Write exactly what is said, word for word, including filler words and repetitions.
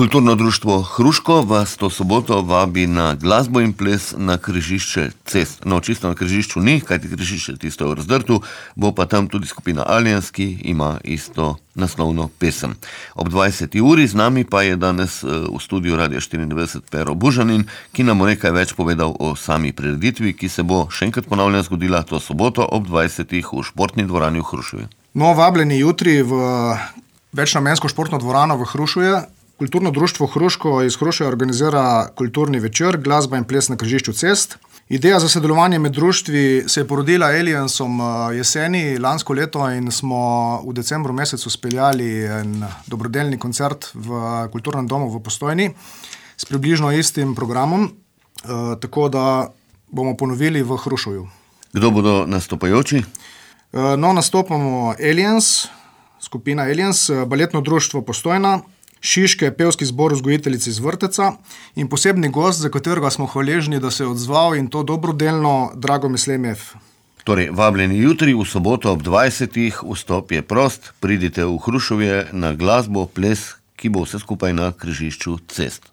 Kulturno društvo Hruško vas to soboto vabi na glasbo in ples na križišče cest. No, čisto na križišču ni, kajti križišče tisto je v Razdrtu, bo pa tam tudi skupina Aliens, ki ima isto naslovno pesem. Ob dvajseti uri z nami pa je danes v studiu Radia štiriindevetdeset Pero Bužanin, ki nam bo nekaj več povedal o sami prireditvi, ki se bo še enkrat ponavljam zgodila to soboto ob dvajsetih v športni dvorani v Hrušovju. No, vabljeni jutri v večnamensko športno dvorano v Hrušovju. Kulturno društvo Hruško iz Hrušovja organizira kulturni večer, glasba in ples na križišču cest. Ideja za sodelovanje med društvi se je porodila Aliensom jeseni lansko leto in smo v decembru mesecu speljali en dobrodelni koncert v kulturnem domu v Postojni s približno istim programom, tako da bomo ponovili v Hrušovju. Kdo bodo nastopajoči? No, nastopamo Aliens, skupina Aliens, baletno društvo Postojna, Šiške, pevski zbor vzgojiteljic iz Vrteca in posebni gost, za katerega smo hvaležni, da se je odzval in to dobrodelno, Dragomir Slemjev. Torej, vabljeni jutri v soboto ob dvajsetih, vstop je prost, pridite v Hrušovje na glasbo, ples, ki bo vse skupaj na križišču cest.